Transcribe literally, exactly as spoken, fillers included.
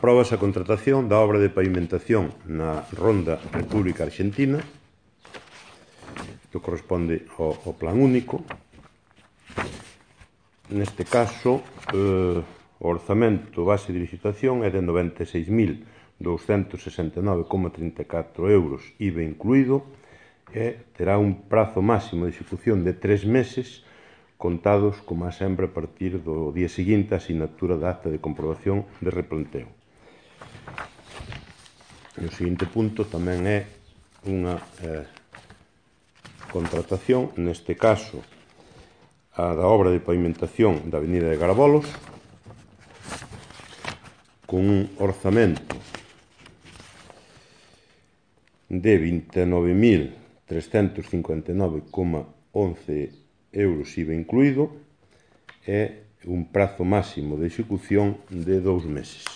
Apróbase a contratación da obra de pavimentación na Ronda República Argentina, que corresponde ao, ao plan único. Neste caso, eh, o orzamento base de licitación é de noventa e seis mil douscentos sesenta e nove coma trinta e catro euros, I V A incluído, e terá un prazo máximo de execución de tres meses, contados, como sempre, a partir do día seguinte a sinatura da acta de comprobación de replanteo. E o seguinte punto tamén é unha eh, contratación, neste caso a da obra de pavimentación da avenida de Garabolos, con un orzamento de vinte e nove mil trescentos cincuenta e nove coma once euros I V A incluído e un prazo máximo de execución de dous meses.